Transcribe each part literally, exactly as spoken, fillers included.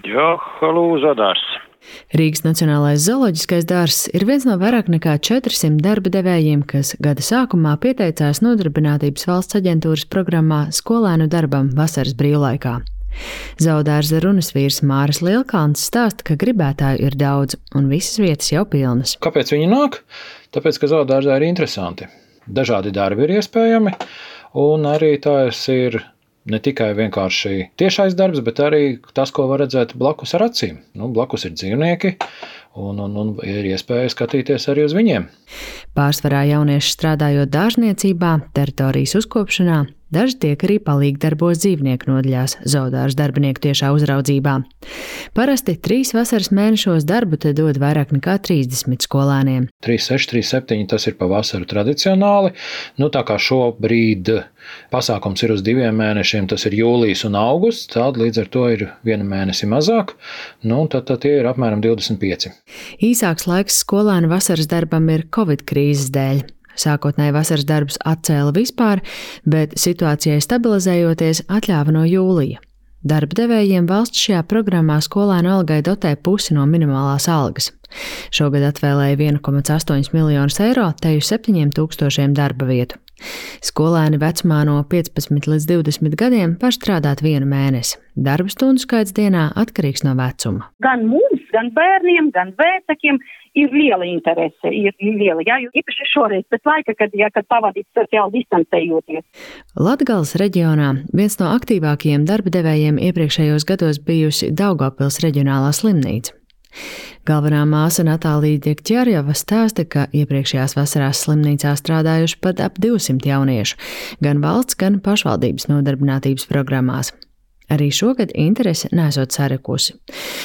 Jā, halū, Zodārs. Rīgas Nacionālais zooloģiskais dārzs ir viens no vairāk nekā četrsimt darba devējiem, kas gada sākumā pieteicās Nodarbinātības valsts aģentūras programmā Skolēnu darbam vasaras brīvlaikā. Zoodārza runasvīrs Māris Lielkalns stāsta, ka gribētāju ir daudz un visas vietas jau pilnas. Kāpēc viņi nāk? Tāpēc, ka zoodārzā ir interesanti. Dažādi darbi ir iespējami, un arī tās ir ne tikai vienkārši tiešais darbs, bet arī tas, ko var redzēt blakus ar acīm. Nu, blakus ir dzīvnieki, un, un, un ir iespēja skatīties arī uz viņiem. Pārsvarā jaunieši strādājot dārzniecībā, teritorijas uzkopšanā, daži tiek arī palīgdarbos dzīvnieku nodaļās zoodārza darbinieku tiešā uzraudzībā. Parasti trīs vasaras mēnešos darbu te dod vairāk nekā trīsdesmit skolēniem. trīs seši, trīs septiņi tas ir pa vasaru tradicionāli. Nu, tā kā šobrīd pasākums ir uz diviem mēnešiem, tas ir jūlijas un augusts, tad līdz ar to ir viena mēnesi mazāk, nu, tad, tad tie ir apmēram divdesmit pieci. Īsāks laiks skolēnu vasaras darbam ir Covid krīzes dēļ. Sākotnēji vasaras darbus atcēla vispār, bet situācijai stabilizējoties atļāva no jūlija. Darba devējiem valsts šajā programmā skolēnu algai dotē pusi no minimālās algas. Šogad atvēlēja viens komats astoņi miljonus eiro teju septiņiem tūkstošiem darba vietu. Skolēni vecumā no piecpadsmit līdz divdesmit gadiem var strādāt vienu mēnesi. Darba stundu skaits dienā atkarīgs no vecuma. Gan mums, gan bērniem, gan vecākiem ir liela interese, ir liela, jā, jo īpaši šoreiz pēc laika, kad, jā, kad pavadīt sociāli distancējoties. Latgales reģionā viens no aktīvākajiem darba devējiem iepriekšējos gados bijusi Daugavpils reģionālā slimnīca. Galvenā māsa Natālija Diekķerjeva stāsta, ka iepriekšējās vasarās slimnīcā strādājuši pat ap divsimt jauniešu, gan valsts, gan pašvaldības nodarbinātības programmās. Arī šogad interese nesot sarikusi.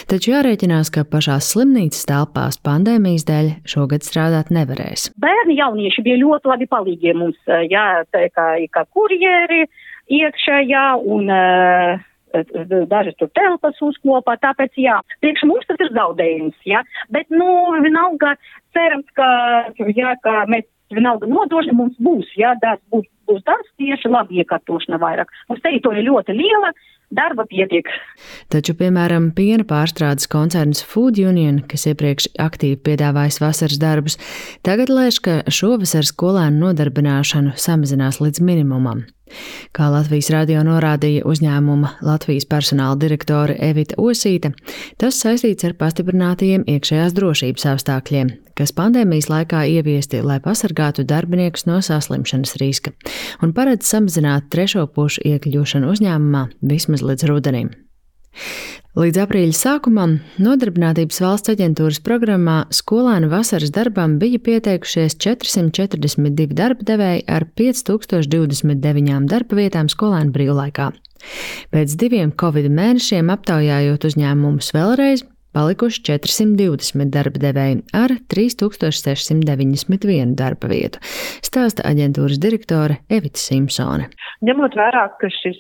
Taču jārēķinās, ka pašās slimnīcas telpās pandēmijas dēļ šogad strādāt nevarēs. Bērni jaunieši bija ļoti labi palīgi mums, jā, tā kā, kā kurjeri iekšā, jā, un uh, daži tur telpas uzklopā, tāpēc, jā, priekš mums tas ir zaudējums, jā, bet, nu, vienalga cerams, ka, jā, ka mēs vienalga nodošana mums būs, jā, darbs būs, būs darbs tieši labi iekārtošana vairāk. Mums teritorija ļoti liela, darba pietiek. Taču, piemēram, piena pārstrādes koncerns Food Union, kas iepriekš aktīvi piedāvājis vasaras darbus, tagad lēš, ka šovasar skolēnu nodarbināšanu samazinās līdz minimumam. Kā Latvijas radio norādīja uzņēmuma Latvijas personāla direktore Evita Osīte, tas saistīts ar pastiprinātajiem iekšējās drošības apstākļiem, kas pandēmijas laikā ieviesti, lai pasargātu darbiniekus no saslimšanas riska un paredz samazināt trešo pušu iekļūšanu uzņēmumā vismaz līdz rudenim. Līdz aprīļa sākumam Nodarbinātības valsts aģentūras programmā skolēnu vasaras darbam bija pieteikušies četrsimt četrdesmit divi darba devēji ar pieci tūkstoši divdesmit deviņām darba vietām skolēnu brīvlaikā. Pēc diviem Covid mēnešiem aptaujājot uzņēmumus vēlreiz, palikuši četrsimt divdesmit darba devēji ar trīs tūkstoši sešsimt deviņdesmit vienu darba vietu, stāsta aģentūras direktore Evita Simpsone. Ņemot vērā, ka šis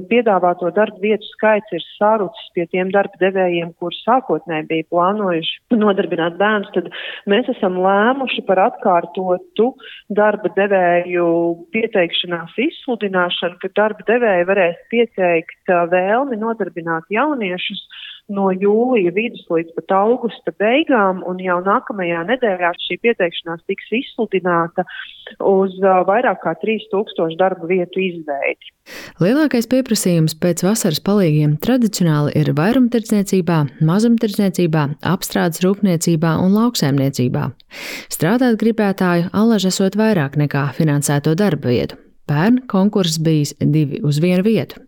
piedāvāto darba vietu skaits ir sārucis pie tiem darba devējiem, kuri sākotnēji bija plānojuši nodarbināt bērnus, tad mēs esam lēmuši par atkārtotu darba devēju pieteikšanās izsludināšanu, ka darba devēji varēs pieteikt vēlmi nodarbināt jauniešus no jūlija vidus līdz pat augusta beigām, un jau nākamajā nedēļā šī pieteikšanās tiks izsludināta uz uh, vairāk kā trīs tūkstoši darba vietu izveidi. Lielākais pieprasījums pēc vasaras palīgiem tradicionāli ir vairumtirdzniecībā, mazumtirdzniecībā, apstrādes rūpniecībā un lauksaimniecībā. Strādāt gribētāju allaž esot vairāk nekā finansēto darba vietu. Pērn konkurss bijis divi uz vienu vietu.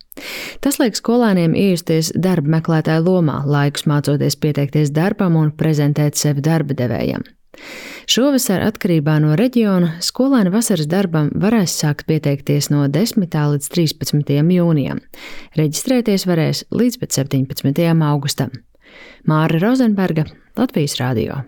Tas liek skolēniem iejusties darba meklētāju lomā, laikus mācoties pieteikties darbam un prezentēt sevi darba devējam. Šovasar atkarībā no reģiona skolēni vasaras darbam varēs sākt pieteikties no desmitā līdz trīspadsmitajam jūnijam. Reģistrēties varēs līdz pat septiņpadsmitajam augustam. Māra Rozenberga, Latvijas radio.